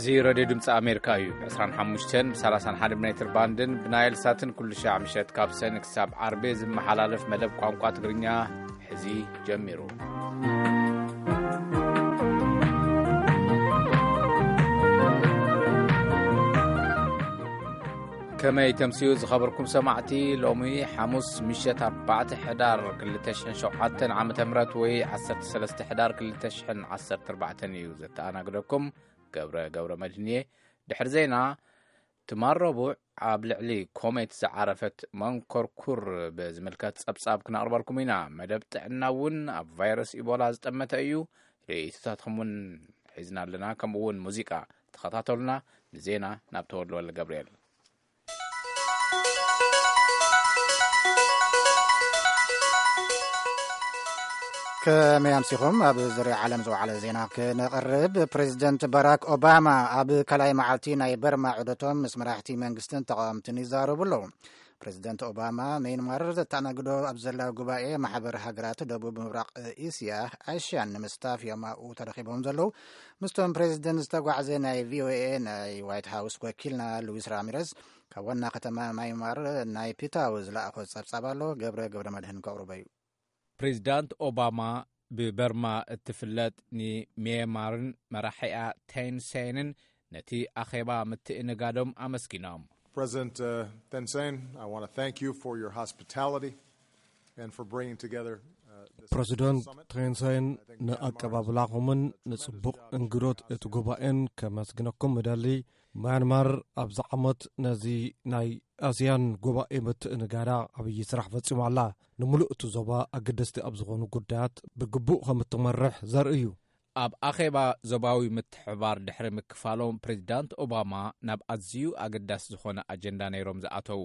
እዚ ሬድዮ ድምፂ ኣሜሪካ እዩ። ብ ዕስራን ሓሙሽተን ብ ሰላሳን ሓደ ሜትር ባንድን ብናይል ሳትን ኩሉ ሻዕ ምሸት ካብ ሰን ክሳብ ዓርቢ ዝመሓላለፍ መደብ ቋንቋ ትግርኛ ሕዚ ጀሚሩ። ከመይ ተምስዩ ዝኸበርኩም ሰማዕቲ? ሎሚ ሓሙስ ምሸት ኣርባዕተ ሕዳር ክልተ ሽሕን ሸውዓተን ዓመተ ምህረት ወይ ዓሰርተ ሰለስተ ሕዳር ክልተ ሽሕን ዓሰርተ ኣርባዕተን እዩ ዘተኣናግደኩም ገብረ ገብረ መድህን እየ። ድሕሪ ዜና ትማል ረቡዕ ኣብ ልዕሊ ኮሜት ዝዓረፈት መንኮርኩር ብዝምልከት ጸብጻብ ክነቕርበልኩም ኢና። መደብ ጥዕና እውን ኣብ ቫይረስ ኢቦላ ዝጠመተ እዩ። ርእይቶታትኩም እውን ሒዝና ኣለና፣ ከምኡ እውን ሙዚቃ። ተኸታተሉና። ንዜና ናብ ተወልደ ወልደ ገብርኤል። ከመይ ኣምሲኹም? ኣብ ዙርያ ዓለም ዝወዓለ ዜና ክነቕርብ። ፕሬዚደንት ባራክ ኦባማ ኣብ ካልኣይ መዓልቲ ናይ በርማ ዑደቶም ምስ መራሕቲ መንግስትን ተቓወምትን ይዛረቡ ኣለዉ። ፕሬዚደንት ኦባማ፣ ሜንማር ዘተኣናግዶ ኣብ ዘላ ጉባኤ ማሕበር ሃገራት ደቡብ ምብራቕ እስያ፣ ኣሽያን፣ ንምስታፍ እዮም ኣብኡ ተረኺቦም ዘለዉ። ምስቶም ፕሬዚደንት ዝተጓዕዘ ናይ ቪኦኤ ናይ ዋይት ሃውስ ወኪልና ሉዊስ ራሚረዝ ካብ ዋና ከተማ ማይማር ናይ ፒታው ዝለኣኾ ጸብጻብ ኣሎ። ገብረ ገብረ መድህን ከቕርቦ እዩ። ፕሬዚዳንት ኦባማ ብበርማ እትፍለጥ ንሜንማርን መራሒኣ ቴንሴንን ነቲ ኣኼባ ምትእንጋዶም ኣመስጊኖም። President uh, Thein Sein, I want to thank you for your hospitality and for bringing together uh, this ፕረዚደንት summit. ቴንሳይን ንኣቀባብላኹምን ንጽቡቕ እንግዶት እቲ ጉባኤን ከመስግነኩም እደሊ። ማያንማር ኣብዚ ዓመት ነዚ ናይ ኣስያን ጉባኤ ምትእንጋዳ ዓብዪ ስራሕ ፈጺማ ኣላ። ንምሉእ እቲ ዞባ ኣገደስቲ ኣብ ዝኾኑ ጉዳያት ብግቡእ ከም እትመርሕ ዘርኢ እዩ። ኣብ ኣኼባ ዞባዊ ምትሕብባር ድሕሪ ምክፋሎም፣ ፕሬዚዳንት ኦባማ ናብ ኣዝዩ ኣገዳሲ ዝኾነ ኣጀንዳ ነይሮም ዝኣተዉ።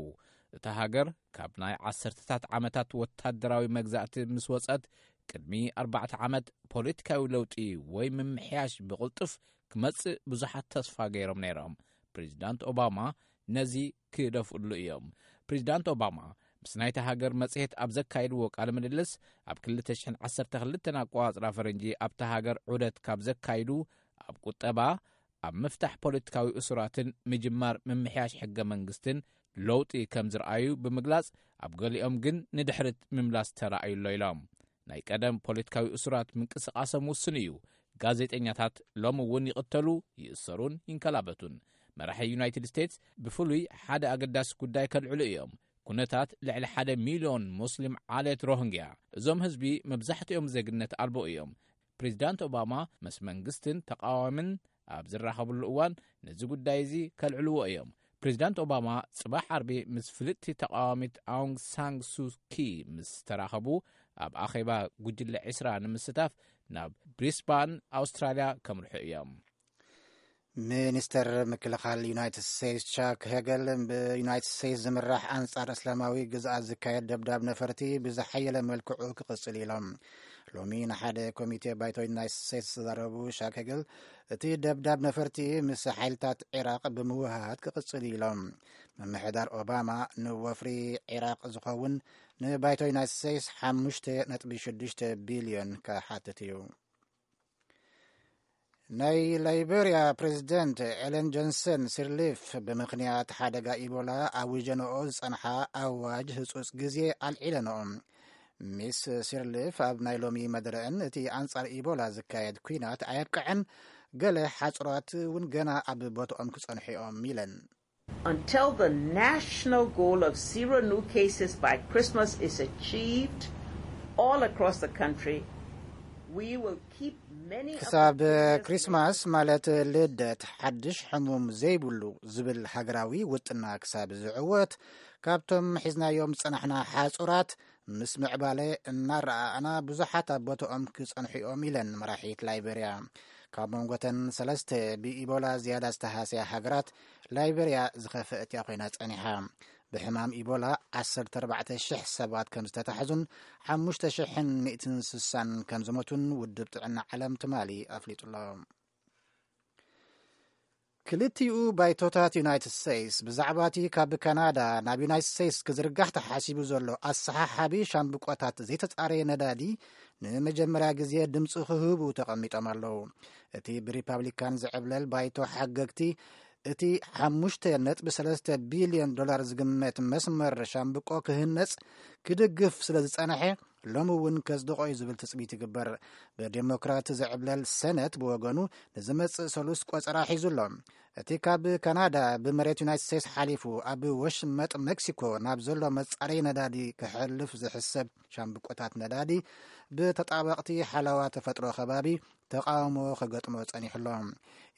እታ ሃገር ካብ ናይ ዓሰርተታት ዓመታት ወታደራዊ መግዛእቲ ምስ ወጸት፣ ቅድሚ ኣርባዕተ ዓመት ፖለቲካዊ ለውጢ ወይ ምምሕያሽ ብቕልጡፍ ክመጽእ ብዙሓት ተስፋ ገይሮም ነይሮም። ፕሬዚዳንት ኦባማ ነዚ ክደፍእሉ እዮም። ፕሬዚዳንት ኦባማ ምስ ናይታ ሃገር መጽሔት ኣብ ዘካየድዎ ቃለ ምልልስ፣ ኣብ ክልተ ሽሕን ዓሰርተ ክልተን ኣቆጻጽራ ፈረንጂ ኣብታ ሃገር ዑደት ካብ ዘካይዱ፣ ኣብ ቁጠባ፣ ኣብ ምፍታሕ ፖለቲካዊ እሱራትን ምጅማር ምምሕያሽ ሕገ መንግስትን ለውጢ ከም ዝረኣዩ ብምግላጽ፣ ኣብ ገሊኦም ግን ንድሕሪት ምምላስ ተራእዩ ኣሎ ኢሎም። ናይ ቀደም ፖለቲካዊ እሱራት ምንቅስቓሶም ውሱን እዩ። ጋዜጠኛታት ሎሚ እውን ይቕተሉ፣ ይእሰሩን ይንከላበቱን። መራሒ ዩናይትድ ስቴትስ ብፍሉይ ሓደ ኣገዳሲ ጉዳይ ከልዕሉ እዮም። ኩነታት ልዕሊ ሓደ ሚልዮን ሙስሊም ዓሌት ሮሂንግያ። እዞም ህዝቢ መብዛሕትኦም ዜግነት ኣልቦ እዮም። ፕሬዚዳንት ኦባማ ምስ መንግስትን ተቃዋምን ኣብ ዝራኸብሉ እዋን ነዚ ጉዳይ እዚ ከልዕልዎ እዮም። ፕሬዚዳንት ኦባማ ጽባሕ ዓርቢ ምስ ፍልጥቲ ተቃዋሚት ኣውንግ ሳንግ ሱኪ ምስ ተራኸቡ፣ ኣብ ኣኼባ ጉጅለ ዒስራ ንምስታፍ ናብ ብሪስባን ኣውስትራልያ ከምርሑ እዮም። ሚኒስተር ምክልኻል ዩናይትድ ስቴትስ ቻክ ሄገል፣ ብዩናይትድ ስቴትስ ዝምራሕ ኣንጻር እስላማዊ ግዝኣት ዝካየድ ደብዳብ ነፈርቲ ብዝሓየለ መልክዑ ክቕጽል ኢሎም። ሎሚ ንሓደ ኮሚቴ ባይቶ ዩናይትድ ስቴትስ ዝተዛረቡ ሻክ ሄገል፣ እቲ ደብዳብ ነፈርቲ ምስ ሓይልታት ዒራቕ ብምውህሃድ ክቕጽል ኢሎም። ምምሕዳር ኦባማ ንወፍሪ ዒራቕ ዝኸውን ንባይቶ ዩናይትድ ስቴትስ ሓሙሽተ ነጥቢ ሽዱሽተ ቢልዮን ክሓትት እዩ። ናይ ላይቤርያ ፕሬዚደንት ኤለን ጆንሰን ሲርሊፍ ብምኽንያት ሓደጋ ኢቦላ ኣዊጀንኦ ዝጸንሓ ኣዋጅ ህጹጽ ግዜ ኣልዒለንኦ። ሚስ ሲርሊፍ ኣብ ናይ ሎሚ መደረአን፣ እቲ ኣንጻር ኢቦላ ዝካየድ ኲናት ኣየብቅዐን፣ ገለ ሓጽራት እውን ገና ኣብ ቦትኦም ክጸንሑ እዮም ኢለን። Until the national goal of zero new cases by Christmas is achieved all across the country, we will keep many of the ክሳብ businesses ክሪስማስ፣ ማለት ልደት፣ ሓድሽ ሕሙም ዘይብሉ ዝብል ሃገራዊ ውጥና ክሳብ ዝዕወት፣ ካብቶም ሒዝናዮም ዝጸናሕና ሓጹራት ምስ ምዕባለ እናረኣእና፣ ብዙሓት ኣብ ቦትኦም ክጸንሑ እዮም ኢለን መራሒት ላይቤርያ። ካብ መንጎተን ሰለስተ ብኢቦላ ዝያዳ ዝተሃስያ ሃገራት፣ ላይቤርያ ዝኸፍአት እያ ኮይና ጸኒሓ። ብሕማም ኢቦላ ዓሰርተ ኣርባዕተ ሽሕ ሰባት ከም ዝተታሕዙን ሓሙሽተ ሽሕን ሚእትን ስሳን ከም ዝሞቱን ውድብ ጥዕና ዓለም ትማሊ ኣፍሊጡ ኣሎ። ክልቲኡ ባይቶታት ዩናይትድ ስቴትስ ብዛዕባ እቲ ካብ ካናዳ ናብ ዩናይትድ ስቴትስ ክዝርጋሕ ተሓሲቡ ዘሎ ኣሰሓሓቢ ሻምብቆታት ዘይተጻረየ ነዳዲ ንመጀመርያ ግዜ ድምፂ ክህቡ ተቐሚጦም ኣለዉ። እቲ ብሪፓብሊካን ዝዕብለል ባይቶ ሓገግቲ እቲ ሓሙሽተ ነጥቢ ሰለስተ ቢልዮን ዶላር ዝግመት መስመር ሻምብቆ ክህነፅ ክድግፍ ስለ ዝፀንሐ፣ ሎሚ እውን ከጽድቖ እዩ ዝብል ትጽቢት ይግበር። ብዴሞክራት ዝዕብለል ሰነት ብወገኑ ንዝመጽእ ሰሉስ ቆጸራ ሒዙ ኣሎ። እቲ ካብ ካናዳ ብመሬት ዩናይትድ ስቴትስ ሓሊፉ ኣብ ወሽመጥ ሜክሲኮ ናብ ዘሎ መጻረዪ ነዳዲ ክሕልፍ ዝሕሰብ ሻምብቆታት ነዳዲ ብተጣበቕቲ ሓለዋ ተፈጥሮ ከባቢ ተቓውሞ ክገጥሞ ጸኒሑ ኣሎ።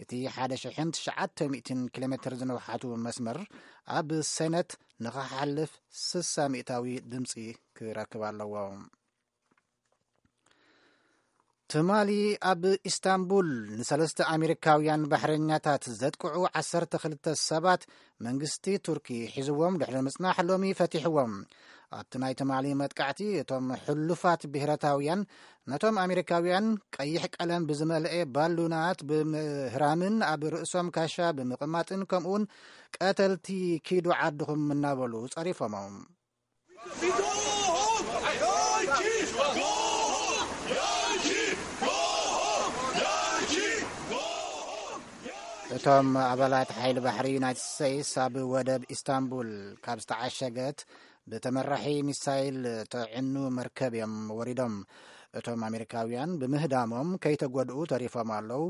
እቲ ሓደ ሽሕን ትሽዓተ ሚእትን ኪሎ ሜትር ዝንውሓቱ መስመር ኣብ ሰነት ንኽሓልፍ ስሳ ሚእታዊ ድምጺ ክረክብ ኣለዎ። ትማሊ ኣብ ኢስታንቡል ንሰለስተ ኣሜሪካውያን ባሕረኛታት ዘጥቅዑ ዓሰርተ ክልተ ሰባት መንግስቲ ቱርኪ ሒዝዎም ድሕሪ ምጽናሕ ሎሚ ፈቲሕዎም። ኣብቲ ናይ ትማሊ መጥቃዕቲ እቶም ሕሉፋት ብሄረታውያን ነቶም ኣሜሪካውያን ቀይሕ ቀለም ብዝመልአ ባሉናት ብምህራምን ኣብ ርእሶም ካሻ ብምቕማጥን ከምኡውን ቀተልቲ ኪዱ ዓድኹም እናበሉ ጸሪፎሞም። እቶም ኣባላት ሓይሊ ባሕሪ ዩናይትድ ስቴትስ ኣብ ወደብ ኢስታንቡል ካብ ዝተዓሸገት ብተመራሒ ሚሳይል ተዕኑ መርከብ እዮም ወሪዶም። እቶም ኣሜሪካውያን ብምህዳሞም ከይተጎድኡ ተሪፎም ኣለዉ።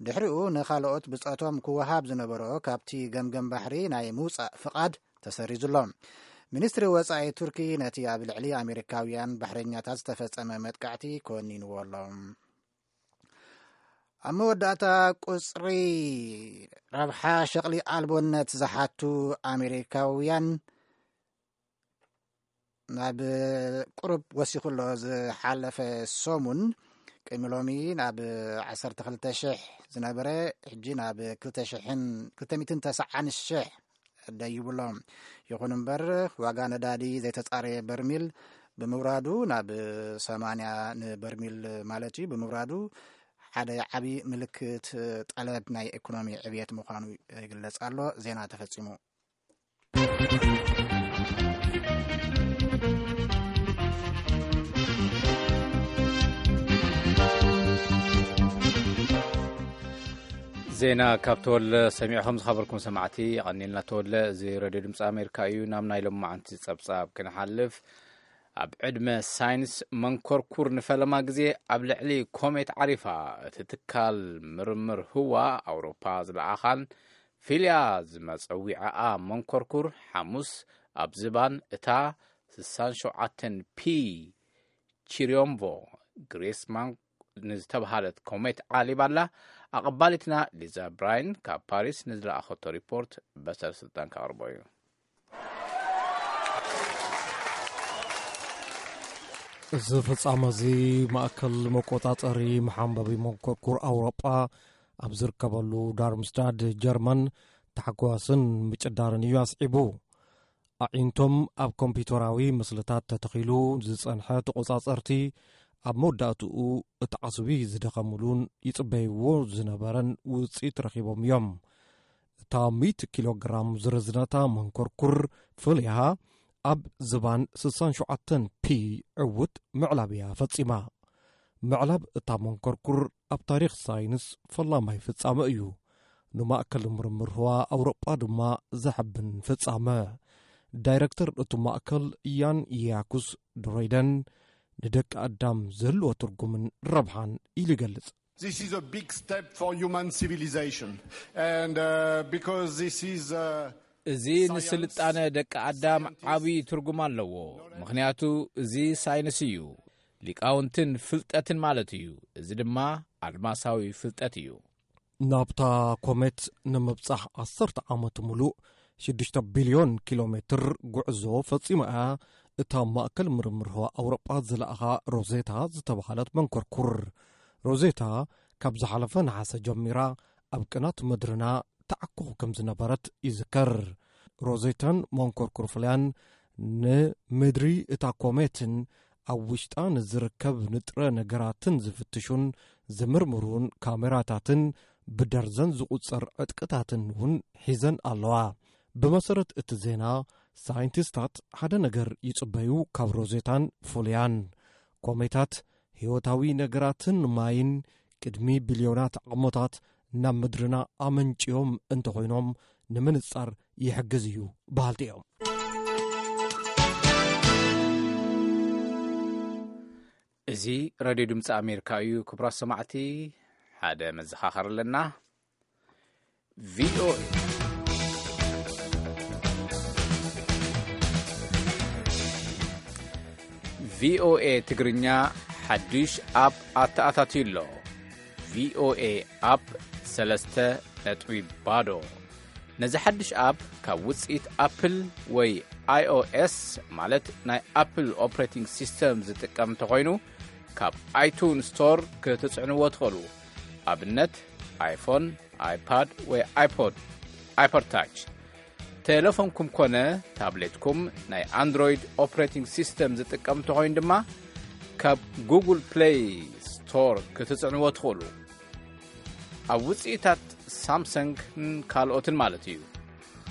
ድሕሪኡ ንኻልኦት ብጾቶም ክወሃብ ዝነበሮ ካብቲ ገምገም ባሕሪ ናይ ምውጻእ ፍቓድ ተሰሪዙ ኣሎ። ሚኒስትሪ ወጻኢ ቱርኪ ነቲ ኣብ ልዕሊ ኣሜሪካውያን ባሕረኛታት ዝተፈጸመ መጥቃዕቲ ኮኒንዎ ኣሎ። ኣብ መወዳእታ፣ ቁጽሪ ረብሓ ሸቕሊ ኣልቦነት ዝሓቱ ኣሜሪካውያን ናብ ቁሩብ ወሲኹ ኣሎ። ዝሓለፈ ሰሙን ቅድሚ ሎሚ ናብ ዓሰርተ ክልተ ሽሕ ዝነበረ፣ ሕጂ ናብ ክልተ ሽሕን ክልተ ሚእትን ተስዓን ሽሕ ደይቡ ኣሎ። ይኹን እምበር፣ ዋጋ ነዳዲ ዘይተጻረየ በርሚል ብምውራዱ፣ ናብ ሰማንያ ንበርሚል ማለት እዩ ብምውራዱ፣ ሓደ ዓቢ ምልክት ጠለብ ናይ ኢኮኖሚ ዕብየት ምዃኑ ይግለጽ ኣሎ። ዜና ተፈጺሙ። ዜና ካብ ተወለ ሰሚዕኹም ዝኸበርኩም ሰማዕቲ፣ የቐኒልና። ተወለ፣ እዚ ሬድዮ ድምፂ ኣሜሪካ እዩ። ናብ ናይ ሎማዓንቲ ጸብጻብ ክንሓልፍ፣ ኣብ ዕድመ ሳይንስ መንኮርኩር ንፈለማ ግዜ ኣብ ልዕሊ ኮሜት ዓሪፋ። እቲ ትካል ምርምር ህዋ ኣውሮፓ ዝለኣኻን ፊልያ ዝመጸዊዐኣ መንኮርኩር ሓሙስ ኣብ ዝባን እታ ስሳን ሸውዓተን ፒ ቺሪዮምቮ ግሬስማን ንዝተባሃለት ኮሜት ዓሊባ ኣላ። ኣቐባሊትና ሊዛ ብራይን ካብ ፓሪስ ንዝለኣኸቶ ሪፖርት በሰር ስልጣን ከቕርቦ እዩ። እዚ ፍጻመ እዚ ማእከል መቆጻጸሪ መሓንበቢ መንኮርኩር ኣውሮጳ ኣብ ዝርከበሉ ዳርምስታድ ጀርመን ታሕጓስን ምጭዳርን እዩ ኣስዒቡ። ኣዒንቶም ኣብ ኮምፒዩተራዊ ምስልታት ተተኺሉ ዝጸንሐ ተቆጻጸርቲ ኣብ መወዳእትኡ እቲ ዓስቢ ዝደኸምሉን ይጽበይዎ ዝነበረን ውጽኢት ረኺቦም እዮም። እታ ሚእቲ ኪሎ ግራም ዝርዝነታ መንኮርኩር ፍልያ ኣብ ዝባን ስሳን ሸውዓተን ፒ ዕውት ምዕላብ እያ ፈጺማ። ምዕላብ እታ መንኮርኩር ኣብ ታሪኽ ሳይንስ ፈላማይ ፍጻመ እዩ። ንማእከል ምርምር ህዋ ኣውሮጳ ድማ ዘሐብን ፍጻመ። ዳይረክተር እቲ ማእከል ያን ያኩስ ድሮይደን ንደቂ ኣዳም ዝህልዎ ትርጉምን ረብሓን ኢሉ ይገልጽ። This is a big step for human civilization. And uh, because this is uh, እዚ ንስልጣነ ደቂ ኣዳም ዓብዪ ትርጉም ኣለዎ። ምኽንያቱ እዚ ሳይንስ እዩ፣ ሊቃውንትን ፍልጠትን ማለት እዩ። እዚ ድማ ኣድማሳዊ ፍልጠት እዩ። ናብታ ኮሜት ንምብጻሕ ዓሰርተ ዓመት ምሉእ ሽዱሽተ ቢልዮን ኪሎ ሜትር ጉዕዞ ፈጺማ እያ። እታ ማእከል ምርምር ህዋ ኣውሮጳ ዝለኣኻ ሮዜታ ዝተባህለት መንኮርኩር። ሮዜታ ካብ ዝሓለፈ ነሓሰ ጀሚራ ኣብ ቅናት ምድርና ተዓኩኹ ከም ዝነበረት ይዝከር። ሮዜታን መንኮርኩር ፍልያን ንምድሪ እታ ኮሜትን ኣብ ውሽጣ ንዝርከብ ንጥረ ነገራትን ዝፍትሹን ዝምርምሩን ካሜራታትን ብደርዘን ዝቑጸር ዕጥቅታትን እውን ሒዘን ኣለዋ። ብመሰረት እቲ ዜና፣ ሳይንቲስታት ሓደ ነገር ይጽበዩ ካብ ሮዜታን ፍልያን። ኮሜታት ህይወታዊ ነገራትን ማይን ቅድሚ ቢልዮናት ዓመታት ናብ ምድርና ኣመንጭዮም እንተኾይኖም ንምንጻር ይሕግዝ እዩ በሃልቲ እዮም። እዚ ሬድዮ ድምፂ ኣሜሪካ እዩ። ክቡራት ሰማዕቲ፣ ሓደ መዘኻኸሪ ኣለና። ቪኦኤ ቪኦኤ ትግርኛ ሓድሽ ኣፕ ኣተኣታትዩ ኣሎ። ቪኦኤ ኣፕ ሰለስተ ነጥቢ ባዶ። ነዚ ሓድሽ ኣፕ ካብ ውፅኢት ኣፕል ወይ ኣይኦኤስ፣ ማለት ናይ ኣፕል ኦፕሬቲንግ ሲስተም ዝጥቀም እንተኾይኑ፣ ካብ ኣይቱን ስቶር ክትጽዕንዎ ትኽእሉ። ኣብነት፣ ኣይፎን፣ ኣይፓድ ወይ ኣይፖድ፣ ኣይፖድ ታች። ቴሌፎንኩም ኮነ ታብሌትኩም ናይ ኣንድሮይድ ኦፕሬቲንግ ሲስተም ዝጥቀም እንተኾይኑ ድማ፣ ካብ ጉግል ፕሌይ ስቶር ክትጽዕንዎ ትኽእሉ። ኣብ ውፅኢታት ሳምሰንግን ካልኦትን ማለት እዩ።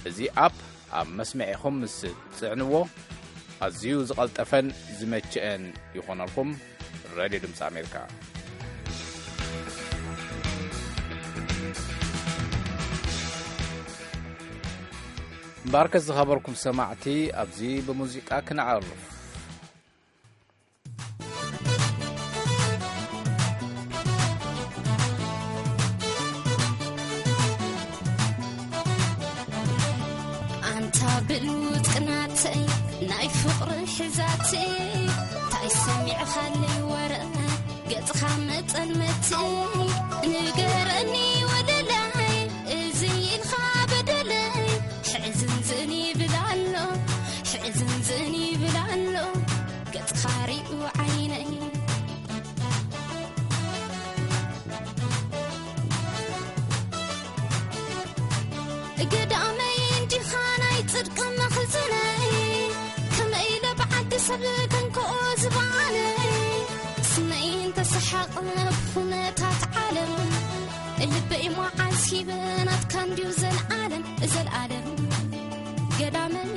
እዚ ኣፕ ኣብ መስመዒኹም ምስ ትጽዕንዎ፣ ኣዝዩ ዝቐልጠፈን ዝመቸአን ይኾነልኩም። ሬድዮ ድምፂ ኣሜሪካ። እምበኣርከ ዝኸበርኩም ሰማዕቲ፣ ኣብዚ ብሙዚቃ ክነዕርፍ። ኣንታ ብሉጽ ቅናተይ ናይ ፍቕሪ ሕዛተይ፣ እንታይ ሰሚዕኻለይ ወረ ገጽኻ መጠልመተይ? ንገረኒ ወለላይ፣ እዚ ኢልካ በደለይ። ሕዝንዝን ይብል ኣሎ፣ ሕዝንዝን ይብል ኣሎ ገጽኻ ሪኡ ዓይነይ። ገዳመይ እንዲኻ ናይ ጽድቂ መኽዝነይ፣ ከመይ ኢለ ብዓዲ ሰብ ከንክኦ ዝባነይ? ስመይ እንተሰሓቐ ብኹነታት ዓለም፣ ልበይ መዓስ ሂበ ናትካ እንድዩ ዘልኣለም፣ ዘልኣለም። ገዳመይ፣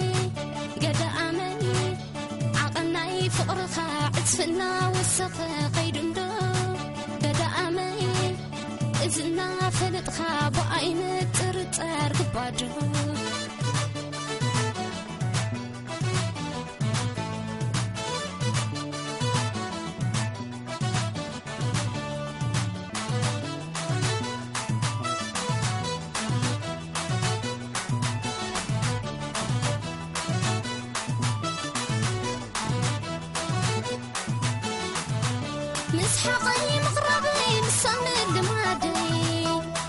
ገዳመይ፣ ዓቐን ናይ ፍቕርኻ ዕጽፍና ወሰኸ ከይዱ እንዶ፣ ገዳመይ፣ እዚ እናፈለጥኻ ብኣይ ምጥርጣር ግባዶ። ምስ ሓቐይ ምቕራበይ ምሳም ልማደይ፣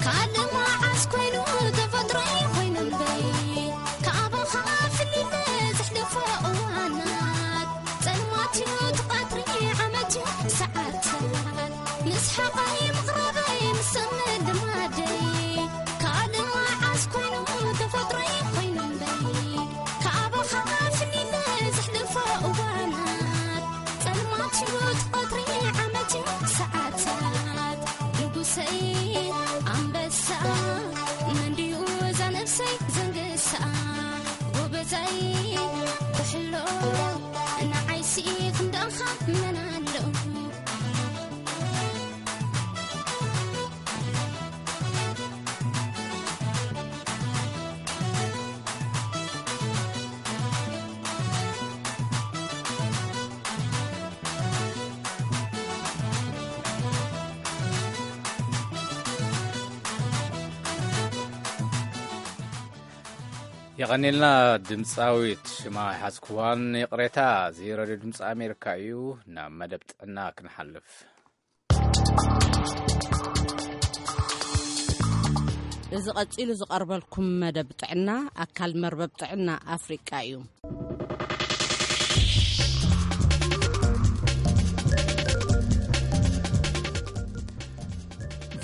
ካልእ መዓስ ኮይኑ ተፈጥሮይ ኮይኑ እምበይ፣ ካባኻ ፍሊለ ዘሕልፎ እዋናት፣ ጸልማት እዩ እቲ ቀትሪ ዓመት እዩ ሰዓታት፣ ምስ ሓቐይ ምቕራበይ ምሳም ልማደይ፣ ካልእ መዓስ ኮይኑ ተፈጥሮይ ኮይኑ እምበይ፣ ካባኻ ፍሊለ ዘሕልፎ እዋናት፣ ጸልማት ሽጉጥ ቀትሪ ዓመት ሰዓታት፣ ንጉሰይ ኣንበሳ፣ መን ድዩ እዛ ነፍሰይ ዘንግሳ? ጎበዛይ ኩሕሎ፣ ንዓይሲ ክንዳኻ መን ኣሎ? የቐኔልና ድምፃዊት፣ ሽማ ኣይሓዝክዋን፣ ይቕሬታ። እዚ ሬድዮ ድምፂ ኣሜሪካ እዩ። ናብ መደብ ጥዕና ክንሓልፍ። እዚ ቀጺሉ ዝቐርበልኩም መደብ ጥዕና፣ ኣካል መርበብ ጥዕና ኣፍሪቃ እዩ።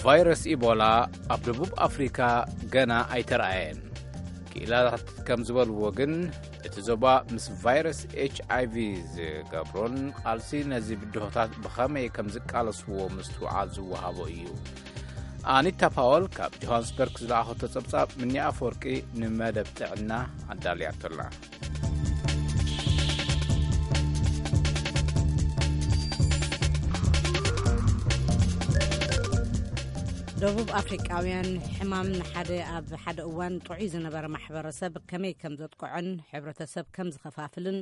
ቫይረስ ኢቦላ ኣብ ደቡብ ኣፍሪካ ገና ኣይተረኣየን። ክኢላታት ከም ዝበልዎ ግን፣ እቲ ዞባ ምስ ቫይረስ ኤች ኣይ ቪ ዝገብሮን ቃልሲ ነዚ ብድሆታት ብኸመይ ከም ዝቃለስዎ ምስትውዓል ዝወሃቦ እዩ። ኣኒታ ፓወል ካብ ጆሃንስበርግ ዝለኣኸቶ ጸብጻብ፣ ምኒ ኣፈወርቂ ንመደብ ጥዕና ኣዳልያቶልና። ደቡብ ኣፍሪቃውያን ሕማም ንሓደ ኣብ ሓደ እዋን ጥዑይ ዝነበረ ማሕበረሰብ ከመይ ከም ዘጥቅዖን ሕብረተሰብ ከም ዝኸፋፍልን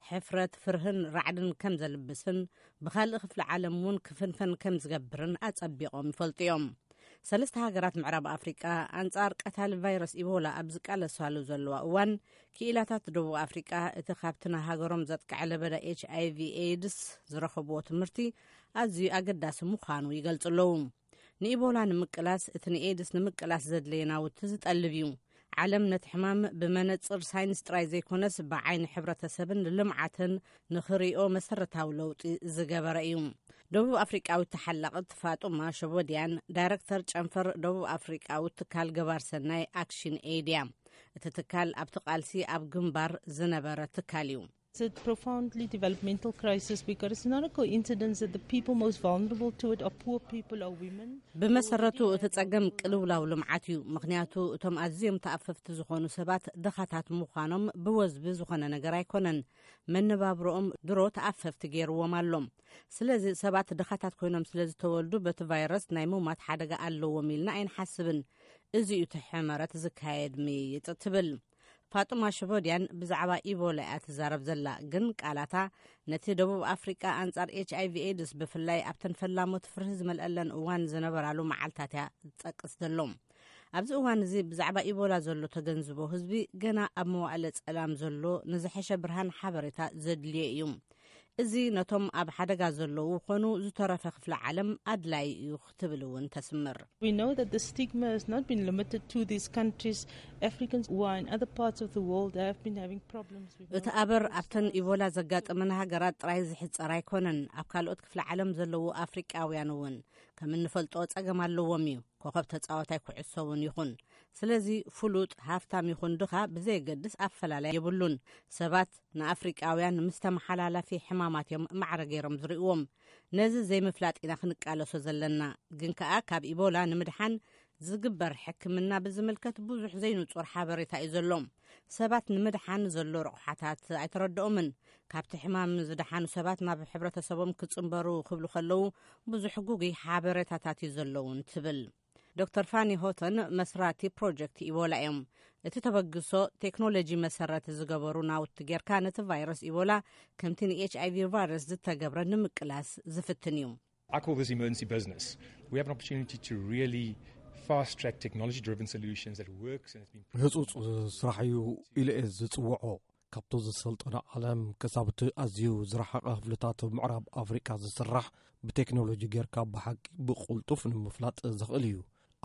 ሕፍረት፣ ፍርህን ራዕድን ከም ዘልብስን ብኻልእ ክፍሊ ዓለም እውን ክፍንፈን ከም ዝገብርን ኣጸቢቖም ይፈልጡ እዮም። ሰለስተ ሃገራት ምዕራብ ኣፍሪቃ ኣንጻር ቀታሊ ቫይረስ ኢቦላ ኣብ ዝቃለሳሉ ዘለዋ እዋን፣ ክኢላታት ደቡብ ኣፍሪቃ እቲ ካብቲ ንሃገሮም ዘጥቅዐ ለበዳ ኤች ኣይ ቪ ኤድስ ዝረኸብዎ ትምህርቲ ኣዝዩ ኣገዳሲ ምዃኑ ይገልጹ ኣለዉ። ንኢቦላ ንምቅላስ፣ እቲ ንኤድስ ንምቅላስ ዘድለየ ናውቲ ዝጠልብ እዩ። ዓለም ነቲ ሕማም ብመነጽር ሳይንስ ጥራይ ዘይኮነስ፣ ብዓይኒ ሕብረተሰብን ልምዓትን ንኽርእዮ መሰረታዊ ለውጢ ዝገበረ እዩ። ደቡብ ኣፍሪቃዊት ተሓላቕት ፋጡማ ሸቦድያን ዳይረክተር ጨንፈር ደቡብ ኣፍሪቃዊ ትካል ገባር ሰናይ ኣክሽን ኤድ እያ። እቲ ትካል ኣብቲ ቃልሲ ኣብ ግንባር ዝነበረ ትካል እዩ። It's a profoundly developmental crisis because it's not a coincidence that the people most vulnerable to it are poor people, are women. ብመሰረቱ እቲ ጸገም ቅልውላው ልምዓት እዩ። ምኽንያቱ እቶም ኣዝዮም ተኣፈፍቲ ዝኾኑ ሰባት ድኻታት ምዃኖም ብወዝቢ ዝኾነ ነገር ኣይኮነን። መነባብሮኦም ድሮ ተኣፈፍቲ ገይርዎም ኣሎ። ስለዚ ሰባት ድኻታት ኮይኖም ስለ ዝተወልዱ በቲ ቫይረስ ናይ ምማት ሓደጋ ኣለዎም ኢልና ኣይንሓስብን። እዚ እዩ እቲ ሕመረት ዝካየድ ምይይጥ ትብል። ፋጡማ ሽቦድያን ብዛዕባ ኢቦላ እያ ትዛረብ ዘላ፣ ግን ቃላታ ነቲ ደቡብ ኣፍሪቃ ኣንጻር ኤች ኣይ ቪ ኤድስ ብፍላይ ኣብተን ፈላሞት ፍርሂ ዝመልአለን እዋን ዝነበራሉ መዓልታት እያ ዝጠቅስ ዘሎ። ኣብዚ እዋን እዚ ብዛዕባ ኢቦላ ዘሎ ተገንዝቦ ህዝቢ ገና ኣብ መዋእለ ጸላም ዘሎ ንዝሐሸ ብርሃን ሓበሬታ ዘድልዮ እዩ። እዚ ነቶም ኣብ ሓደጋ ዘለዉ ኮኑ ዝተረፈ ክፍለ ዓለም ኣድላይ እዩ ክትብል እውን ተስምር። We know that the stigma has not been limited to these countries. Africans who are in other parts of the world have been having problems with እቲ ኣበር ኣብተን ኢቦላ ዘጋጠመን ሃገራት ጥራይ ዝሕጸር ኣይኮነን። ኣብ ካልኦት ክፍለ ዓለም ዘለዉ ኣፍሪቃውያን እውን ከም እንፈልጦ ጸገም ኣለዎም እዩ። ኮኸብ ተጻዋታይ ኩዕሶ እውን ይኹን። ስለዚ ፍሉጥ፣ ሃፍታም ይኹን ድኻ ብዘየገድስ ኣፈላላይ የብሉን። ሰባት ንኣፍሪቃውያን ምስ ተመሓላላፊ ሕማማት እዮም ማዕረ ገይሮም ዝርእዎም። ነዚ ዘይምፍላጥ ኢና ክንቃለሶ ዘለና። ግን ከኣ ካብ ኢቦላ ንምድሓን ዝግበር ሕክምና ብዝምልከት ብዙሕ ዘይንጹር ሓበሬታ እዩ ዘሎ። ሰባት ንምድሓን ዘሎ ረቑሓታት ኣይተረድኦምን። ካብቲ ሕማም ዝደሓኑ ሰባት ናብ ሕብረተሰቦም ክጽንበሩ ክብሉ ከለዉ ብዙሕ ጉጉይ ሓበሬታታት እዩ ዘለውን ትብል። ዶክተር ፋኒ ሆተን መስራቲ ፕሮጀክት ኢቦላ እዮም። እቲ ተበግሶ ቴክኖሎጂ መሰረት ዝገበሩ ናውቲ ጌርካ ነቲ ቫይረስ ኢቦላ ከምቲ ን ኤች ኣይ ቪ ቫይረስ ዝተገብረ ንምቅላስ ዝፍትን እዩ። I call this emergency business. We have an opportunity to really fast track technology driven solutions that works and has been proven. ህጹጽ ስራሕ እዩ ኢለ እየ ዝጽውዖ። ካብቲ ዝሰልጠነ ዓለም ክሳብ እቲ ኣዝዩ ዝረሓቐ ክፍልታት ምዕራብ ኣፍሪቃ ዝስራሕ ብቴክኖሎጂ ጌርካ ብሓቂ ብቕልጡፍ ንምፍላጥ ዝኽእል እዩ።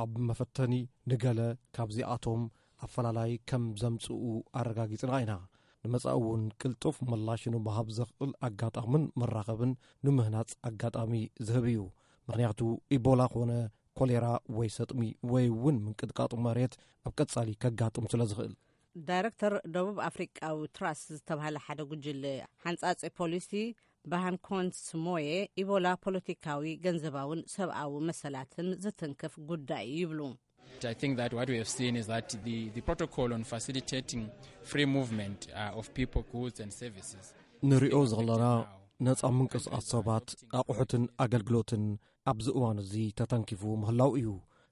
ኣብ መፈተኒ ንገለ ካብዚኣቶም ኣፈላላይ ከም ዘምጽኡ ኣረጋጊጽና ኢና። ንመጻኢ እውን ቅልጡፍ ምላሽ ንምሃብ ዘኽእል ኣጋጣምን መራኸብን ንምህናጽ ኣጋጣሚ ዝህብ እዩ። ምኽንያቱ ኢቦላ ኮነ ኮሌራ ወይ ሰጥሚ ወይ እውን ምንቅጥቃጥ መሬት ኣብ ቀጻሊ ከጋጥም ስለ ዝኽእል። ዳይረክተር ደቡብ ኣፍሪቃዊ ትራስት ዝተባህለ ሓደ ጉጅለ ሓንጻጺ ፖሊሲ ባሃን ኮንስ ሞየ፣ ኢቦላ ፖለቲካዊ፣ ገንዘባውን ሰብኣዊ መሰላትን ዝትንክፍ ጉዳይ እዩ ይብሉ። I think that what we have seen is that the, the protocol on facilitating free movement uh, of people, goods and services. ንሪኦ ዘለና ነጻ ምንቅስቓስ ሰባት፣ ኣቑሑትን ኣገልግሎትን ኣብዚ እዋን እዚ ተተንኪፉ ምህላው እዩ።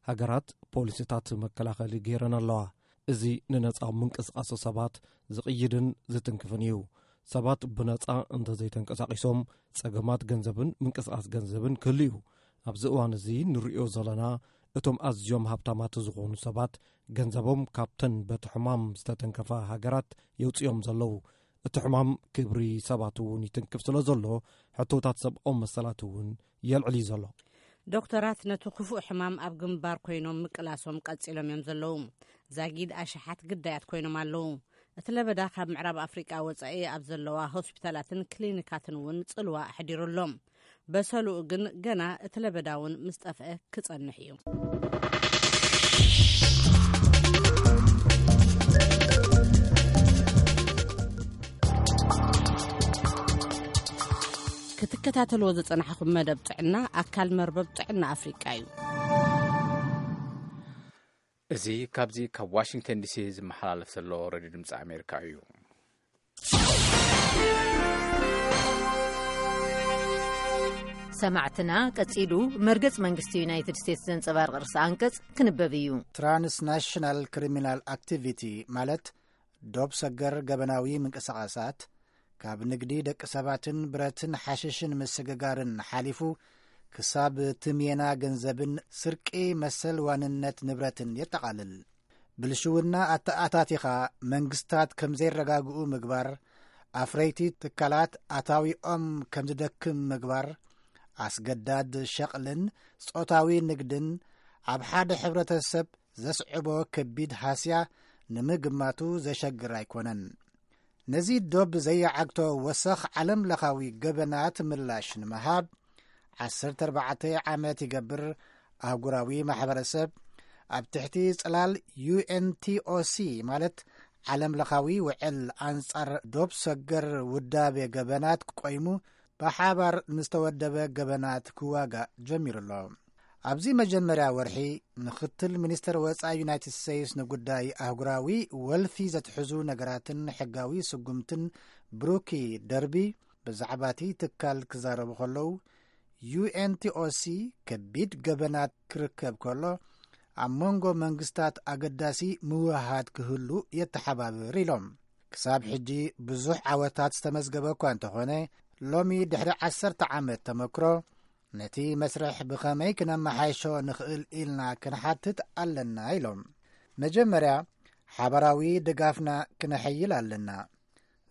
ሃገራት ፖሊሲታት መከላኸሊ ገይረን ኣለዋ። እዚ ንነጻ ምንቅስቓስ ሰባት ዝቕይድን ዝትንክፍን እዩ። ሰባት ብነጻ እንተዘይተንቀሳቒሶም ጸገማት ገንዘብን ምንቅስቓስ ገንዘብን ክህሉ እዩ። ኣብዚ እዋን እዚ ንሪኦ ዘለና እቶም ኣዝዮም ሃብታማት ዝኾኑ ሰባት ገንዘቦም ካብተን በቲ ሕማም ዝተተንከፋ ሃገራት የውጽኦም ዘለዉ። እቲ ሕማም ክብሪ ሰባት እውን ይትንክፍ ስለ ዘሎ ሕቶታት ሰብኣዊ መሰላት እውን የልዕል እዩ ዘሎ። ዶክተራት ነቲ ክፉእ ሕማም ኣብ ግንባር ኮይኖም ምቅላሶም ቀጺሎም እዮም ዘለዉ። ዛጊድ ኣሽሓት ግዳያት ኮይኖም ኣለዉ። እቲ ለበዳ ካብ ምዕራብ ኣፍሪቃ ወጻኢ ኣብ ዘለዋ ሆስፒታላትን ክሊኒካትን እውን ጽልዋ ኣሕዲሩ ኣሎ። በሰሉኡ ግን ገና እቲ ለበዳ እውን ምስ ጠፍአ ክጸንሕ እዩ። ክትከታተልዎ ዝጸናሕኹም መደብ ጥዕና ኣካል መርበብ ጥዕና ኣፍሪቃ እዩ። እዚ ካብዚ ካብ ዋሽንግተን ዲሲ ዝመሓላለፍ ዘሎ ሬድዮ ድምፂ ኣሜሪካ እዩ። ሰማዕትና፣ ቀጺሉ መርገጽ መንግስቲ ዩናይትድ ስቴትስ ዘንጸባርቕ ርእሰ ኣንቀጽ ክንበብ እዩ። ትራንስናሽናል ክሪሚናል ኣክቲቪቲ፣ ማለት ዶብ ሰገር ገበናዊ ምንቅስቓሳት፣ ካብ ንግዲ ደቂ ሰባትን ብረትን ሓሽሽን ምስግጋርን ሓሊፉ፣ ክሳብ ትምየና ገንዘብን ስርቂ መሰል ዋንነት ንብረትን የጠቓልል። ብልሽውና ኣተኣታቲኻ መንግስታት ከም ዘይረጋግኡ ምግባር፣ ኣፍረይቲ ትካላት ኣታዊኦም ከም ዝደክም ምግባር፣ ኣስገዳድ ሸቕልን ጾታዊ ንግድን ኣብ ሓደ ሕብረተሰብ ዘስዕቦ ከቢድ ሃስያ ንምግማቱ ዘሸግር ኣይኮነን። ነዚ ዶብ ዘየዓግቶ ወሰኽ ዓለም ለኻዊ ገበናት ምላሽ ንምሃብ፣ ዓሰርተ ኣርባዕተ ዓመት ይገብር ኣህጉራዊ ማሕበረሰብ ኣብ ትሕቲ ጽላል ዩ ኤን ቲ ኦ ሲ፣ ማለት ዓለም ለኻዊ ውዕል ኣንጻር ዶብ ሰገር ውዳቤ ገበናት ቆይሙ፣ ብሓባር ንዝተወደበ ገበናት ክዋጋእ ጀሚሩ ኣሎ። ኣብዚ መጀመርያ ወርሒ፣ ምኽትል ሚኒስተር ወጻኢ ዩናይትድ ስቴትስ ንጉዳይ ኣህጉራዊ ወልፊ ዘትሕዙ ነገራትን ሕጋዊ ስጉምትን ብሩኪ ደርቢ ብዛዕባ እቲ ትካል ክዛረቡ ከለዉ፣ ዩ ኤን ቲ ኦ ሲ ከቢድ ገበናት ክርከብ ከሎ፣ ኣብ መንጎ መንግስታት ኣገዳሲ ምውህሃድ ክህሉ የተሓባብር ኢሎም። ክሳብ ሕጂ ብዙሕ ዓወታት ዝተመዝገበ እኳ እንተኾነ፣ ሎሚ ድሕሪ ዓሰርተ ዓመት ተመክሮ፣ ነቲ መስርሕ ብኸመይ ክነመሓይሾ ንኽእል ኢልና ክንሓትት ኣለና ኢሎም። መጀመርያ፣ ሓባራዊ ድጋፍና ክነሐይል ኣለና።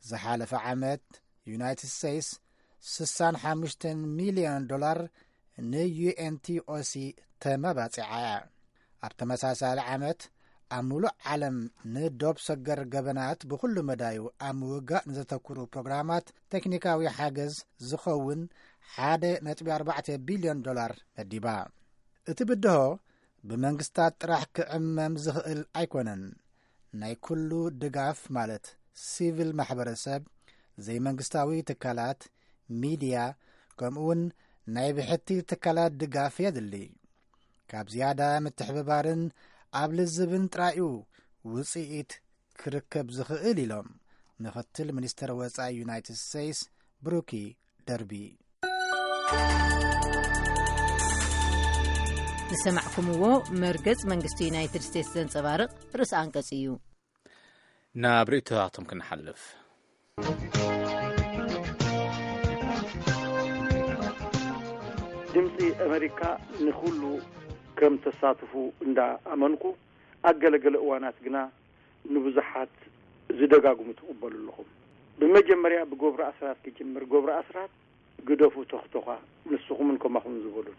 ዝሓለፈ ዓመት፣ ዩናይትድ ስቴትስ ስሳን ሓሙሽተን ሚልዮን ዶላር ን ዩ ኤን ቲ ኦ ሲ ተመባጺዓ እያ። ኣብ ተመሳሳሊ ዓመት፣ ኣብ ምሉእ ዓለም ንዶብ ሰገር ገበናት ብኹሉ መዳዩ ኣብ ምውጋእ ንዘተኩሩ ፕሮግራማት ቴክኒካዊ ሓገዝ ዝኸውን ሓደ ነጥቢ ኣርባዕተ ቢልዮን ዶላር መዲባ። እቲ ብድሆ ብመንግስታት ጥራሕ ክዕመም ዝኽእል ኣይኮነን። ናይ ኩሉ ድጋፍ፣ ማለት ሲቪል ማሕበረሰብ፣ ዘይመንግስታዊ ትካላት፣ ሚድያ፣ ከምኡውን ናይ ብሕቲ ትካላት ድጋፍ የድሊ። ካብ ዝያዳ ምትሕብባርን ኣብ ልዝብን ጥራዩ ውጽኢት ክርከብ ዝኽእል ኢሎም ምኽትል ሚኒስተር ወጻኢ ዩናይትድ ስቴትስ ብሩኪ ደርቢ። ዝሰማዕኩምዎ መርገጽ መንግስቲ ዩናይትድ ስቴትስ ዘንጸባርቕ ርእሰ ኣንቀጽ እዩ። ናብ ርእይቶታቶም ክንሓልፍ። ድምፂ ኣሜሪካ ንኹሉ ከም ተሳትፉ እንዳ ኣመንኩ፣ ኣብ ገለገለ እዋናት ግና ንብዙሓት ዝደጋግሙ ትቕበሉ ኣለኹም። ብመጀመርያ ብገብሩ ኣስራት ክጅምር። ገብሩ ኣስራት፣ ግደፉ ተኽቶኻ፣ ንስኹምን ከማኹም ዝበሉን።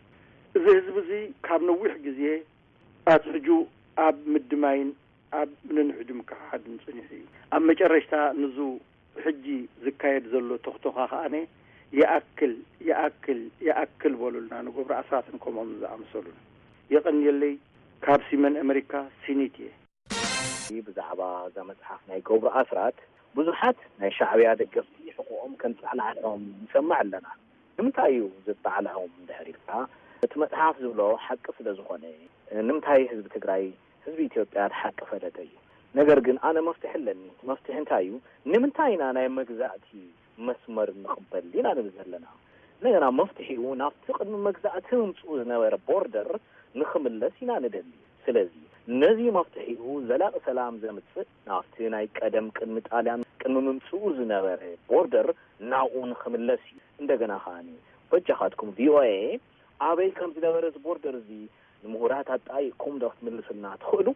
እዚ ህዝቢ እዚ ካብ ነዊሕ ግዜ ኣትሕጁ ኣብ ምድማይን ኣብ ንንሕዱ ምክሓድን ጸኒሑ እዩ። ኣብ መጨረሽታ ንዙ ሕጂ ዝካየድ ዘሎ ተኽቶኻ ከኣነ ይኣክል፣ ይኣክል፣ ይኣክል በሉልና፣ ንገብሩ ኣስራትን ከምኦም ዝኣመሰሉን። የቐንየለይ። ካብ ሲመን ኣመሪካ፣ ሲኒት እየ። ብዛዕባ እዛ መጽሓፍ ናይ ገብሩ ኣስራት ብዙሓት ናይ ሻዕብያ ደገፍቲ ሕቆኦም ከንጻዕላዕልዖም ንሰምዕ ኣለና። ንምንታይ እዩ ዘጣዕልዖም እንድሕር ኢልካ፣ እቲ መጽሓፍ ዝብሎ ሓቂ ስለ ዝኾነ። ንምንታይ ህዝቢ ትግራይ፣ ህዝቢ ኢትዮጵያ ሓቂ ፈለጠ እዩ። ነገር ግን ኣነ መፍትሒ ኣለኒ። እቲ መፍትሒ እንታይ እዩ? ንምንታይ ኢና ናይ መግዛእቲ መስመር ንቕበል ኢና ንብል ዘለና? እንደገና መፍትሒኡ ናብቲ ቅድሚ መግዛእቲ ምምፅኡ ዝነበረ ቦርደር ንኽምለስ ኢና ንደሊ። ስለዚ ነዚ መፍትሒኡ ዘላቒ ሰላም ዘምፅእ ናብቲ ናይ ቀደም ቅድሚ ጣልያን ቅድሚ ምምፅኡ ዝነበረ ቦርደር ናብኡ ንኽምለስ እዩ። እንደገና ከዓኒ በጃኻትኩም ቪኦኤ ኣበይ ከም ዝነበረ እዚ ቦርደር እዚ ንምሁራት ኣጣይቕኩም ዶ ክትምልሱልና ትኽእሉ?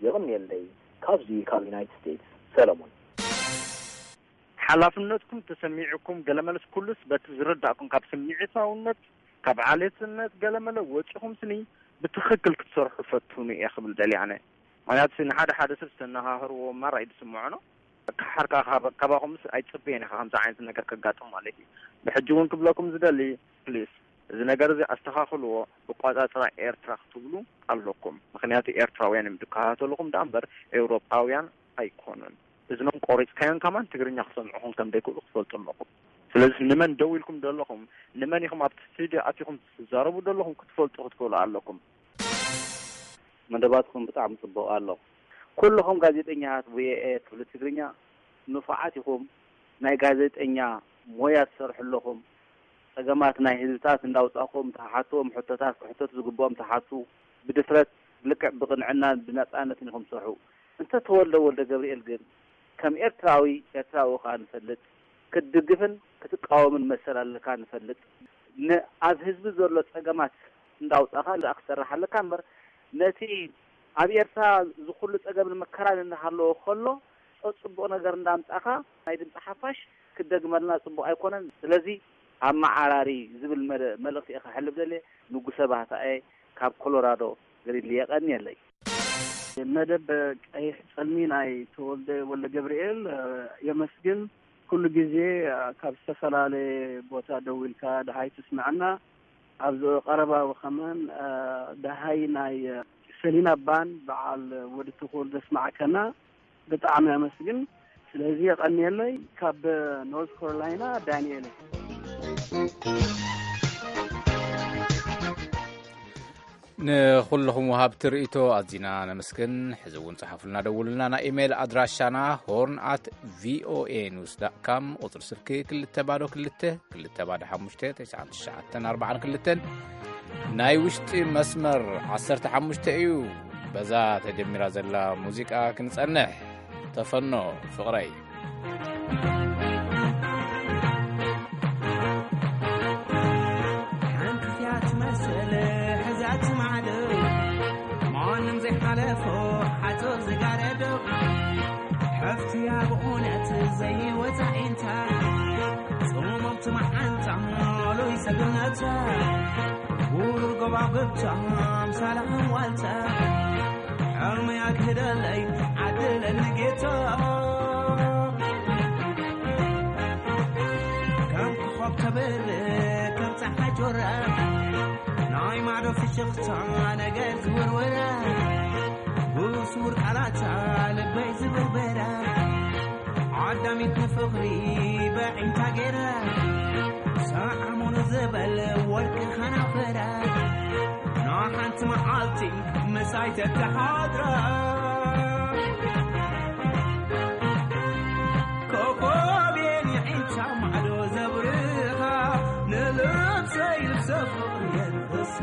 የቐንየለይ። ካብዚ ካብ ዩናይትድ ስቴትስ ሰለሞን። ሓላፍነትኩም ተሰሚዕኩም ገለመለስ ኩሉስ በቲ ዝርዳእኩም ካብ ስምዒታውነት ካብ ዓሌትነት ገለመለ ወፂኹም ስኒ ብትኽክል ክትሰርሑ ፈትኑ እየ ክብል ደልየ ኣነ። ምክንያቱ ንሓደ ሓደ ሰብ ዝተነሃህርዎ ማራ እዩ ዝስምዖ ነው። ካሓርካ ካባኹምስ ኣይፅበየን ኢኻ ከምዚ ዓይነት ነገር ከጋጥም ማለት እዩ። ብሕጂ እውን ክብለኩም ዝደሊ ፕሊስ እዚ ነገር እዚ ኣስተኻኽልዎ። ብቋፃፅራ ኤርትራ ክትብሉ ኣለኩም። ምክንያቱ ኤርትራውያን እዮም ዝከታተልኹም ደኣ እምበር ኤውሮጳውያን ኣይኮኑን። እዝኖም ቆሪፅካዮም ከማን ትግርኛ ክሰምዑኹም ከም ዘይክእሉ ክትፈልጡ ኣለኹም። ስለዚ ንመን ደው ኢልኩም ዘለኹም፣ ንመን ኢኹም ኣብቲ ስቱድዮ ኣቲኹም ትዛረቡ ዘለኹም ክትፈልጡ ክትክእሉ ኣለኩም። መደባትኩም ብጣዕሚ ጽቡቕ ኣሎ። ኩልኹም ጋዜጠኛታት ቪኦኤ ትብሉ ትግርኛ ንፉዓት ኢኹም። ናይ ጋዜጠኛ ሞያ ትሰርሑ ኣለኹም። ጸገማት ናይ ህዝብታት እንዳውጻእኩም ተሓትዎም፣ ሕቶታት ክሕተቱ ዝግብኦም ተሓቱ፣ ብድፍረት ልክዕ ብቕንዕናን ብነጻነትን ኢኹም ትሰርሑ። እንተ ተወልደ ወልደ ገብርኤል ግን ከም ኤርትራዊ፣ ኤርትራዊ ከኣ ንፈልጥ፣ ክትድግፍን ክትቃወምን መሰል ኣለካ ንፈልጥ። ን-፣ ኣብ ህዝቢ ዘሎ ጸገማት እንዳውጻእካ ደኣ ክትሰርሕ ኣለካ እምበር፣ ነቲ ኣብ ኤርትራ ዝኹሉ ጸገምን መከራን እናሃለወ ከሎ፣ ጸጽቡቕ ነገር እንዳምጻእካ ናይ ድምጺ ሓፋሽ ክትደግመልና ጽቡቕ ኣይኮነን። ስለዚ ኣመዓራሪ ዝብል መደ-፣ መልእኽቲ እየ ከሕልፍ ደልየ። ንጉሰ ባህታኤ ካብ ኮሎራዶ ገሊሊ የቐንየለይ። መደብ ቀይሕ ጸልሚ ናይ ተወልደ ወልደ ገብርኤል፣ እ፣ የመስግን። ኩሉ ግዜ፣ እ፣ ካብ ዝተፈላለየ ቦታ ደዊልካ ደሃይ ትስምዐና። ኣብዚ ቀረባ ከማን፣ እ፣ ደሃይ ናይ፣ እ፣ ሰሊና ባን በዓል ወዲ ትኹል ዘስማዕከና ብጣዕሚ ኣመስግን። ስለዚ የቐንየለይ። ካብ ኖርዝ ካሮላይና ዳንኤል። ንኹልኹም ወሃብቲ ርእይቶ ኣዚና ነመስግን። ሕዚ እውን ጸሓፉልና፣ ደውሉልና። ናይ ኢሜይል ኣድራሻና ሆርን ኣት ቪኦኤ ኒውስ ዳት ካም፣ ቁጽሪ ስልኪ ክልተ ባዶ ክልተ፣ ክልተ ባዶ ሓሙሽተ፣ ተስዓን ትሽዓተን ኣርባዓን ክልተን፣ ናይ ውሽጢ መስመር ዓሰርተ ሓሙሽተ እዩ። በዛ ተጀሚራ ዘላ ሙዚቃ ክንጸንሕ። ተፈኖ ፍቕረይ። ሓንቲ እያ ትመስል ሕዛት ማዕዶ፣ ማንም ዘይሓለፎ ሓጹር ዝጋረዶ። ሓፍቲ እያ ብእውነት ዘይወጻኢንታ፣ ጽሙምቲ መዓንታ ሉይ ሰግነታ፣ ውሩር ጎባጉብታ ኣምሳላ ዋልታ። ሕልሚ ኣግህደለይ ዓድለኒ ጌታ፣ ከም ኮኾብ ተብርህ ከም ጸሓይ ጆራ፣ ናይ ማዕዶ ፍሽኽታ ነገር ዝውርውራ፣ ብስውር ቃላታ ልበይ ዝብርበራ፣ ዓዳሚት ንፍቕሪ በዒንታ ገይራ፣ ሰዓሙኒ ዝበል ወርቂ ኸናፈራ፣ ንሓንቲ መዓልቲ ምሳይ ተተሓድራ። ኮኾብ የን የዒንታ ማዕዶ ዘብርኻ፣ ንልብሰይ ልብሰ ፍቕሪ የልብሳ።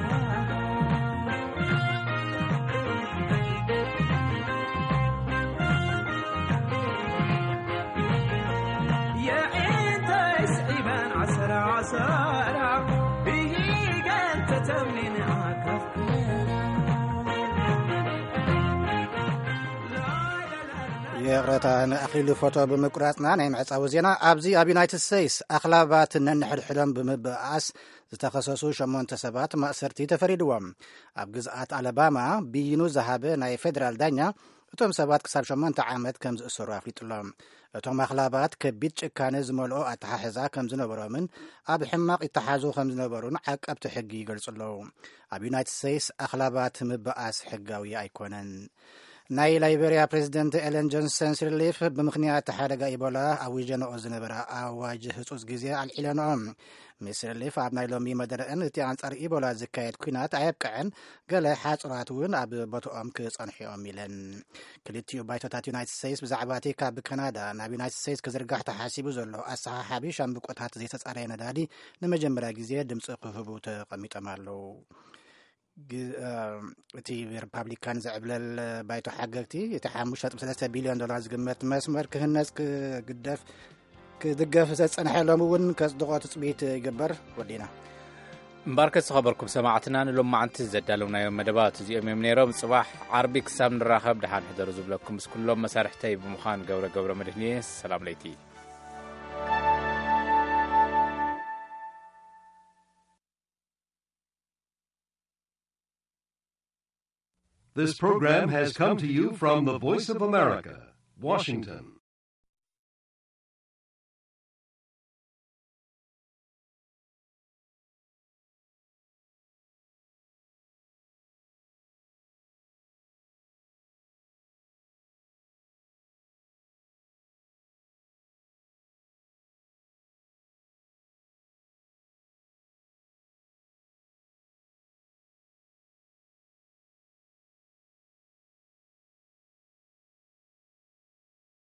የዒንተይ ስዒበን ዓሰራ ዓሰራ፣ ብሂገን ተተምኒን ኣካፍኩ። ይቕረታ፣ ንኣኽሊሉ ፎቶ ብምቁራጽና ናይ ምዕጻዊ ዜና። ኣብዚ ኣብ ዩናይትድ ስቴትስ ኣኽላባት ነንሕድሕዶም ብምብኣስ ዝተኸሰሱ ሸሞንተ ሰባት ማእሰርቲ ተፈሪድዎም። ኣብ ግዝኣት ኣለባማ ብይኑ ዝሃበ ናይ ፌደራል ዳኛ፣ እቶም ሰባት ክሳብ ሸሞንተ ዓመት ከም ዝእሰሩ ኣፍሊጡ ኣሎ። እቶም ኣኽላባት ከቢድ ጭካነ ዝመልኦ ኣተሓሕዛ ከም ዝነበሮምን ኣብ ሕማቕ ይተሓዙ ከም ዝነበሩን ዓቀብቲ ሕጊ ይገልጹ ኣለዉ። ኣብ ዩናይትድ ስቴትስ ኣኽላባት ምብኣስ ሕጋዊ ኣይኮነን። ናይ ላይቤርያ ፕሬዚደንት ኤለን ጆንሰን ሲርሊፍ ብምኽንያት ሓደጋ ኢቦላ ኣዊጀንኦ ዝነበራ ኣዋጅ ህጹጽ ግዜ ኣልዒለንኦ። ሚስ ሲርሊፍ ኣብ ናይ ሎሚ መደረአን እቲ ኣንጻር ኢቦላ ዝካየድ ኲናት ኣየብቅዐን፣ ገለ ሓጹራት እውን ኣብ ቦትኦም ክጸንሑ እዮም ኢለን። ክልቲኡ ባይቶታት ዩናይትድ ስቴትስ ብዛዕባ እቲ ካብ ካናዳ ናብ ዩናይትድ ስቴትስ ክዝርጋሕ ተሓሲቡ ዘሎ ኣሰሓሓቢ ሻምብቆታት ዘይተጻረየ ነዳዲ ንመጀመርያ ግዜ ድምጺ ክህቡ ተቐሚጦም ኣለዉ። ግ-፣ እ፣ እቲ ሪፓብሊካን ዝዕብለል ባይቶ ሓገግቲ፣ እቲ ሓሙሽተ ነጥቢ ሰለስተ ቢልዮን ዶላር ዝግመት መስመር ክህነጽ ክግደፍ፣ ክድገፍ ዘጸንሐ ሎም እውን ከጽድቖ ትጽቢት ይግበር። ወዲና። እምበኣርከስ ዝኸበርኩም ሰማዕትና፣ ንሎማዓንቲ ዘዳለውናዮም መደባት እዚኦም እዮም ነይሮም። ጽባሕ ዓርቢ ክሳብ ንራኸብ ደሓን ሕደሩ ዝብለኩም ምስ ኩሎም መሳርሕተይ ብምዃን ገብረ ገብረ መድህን እየ። ሰላም ለይቲ። This program has come to you from the Voice of America, Washington.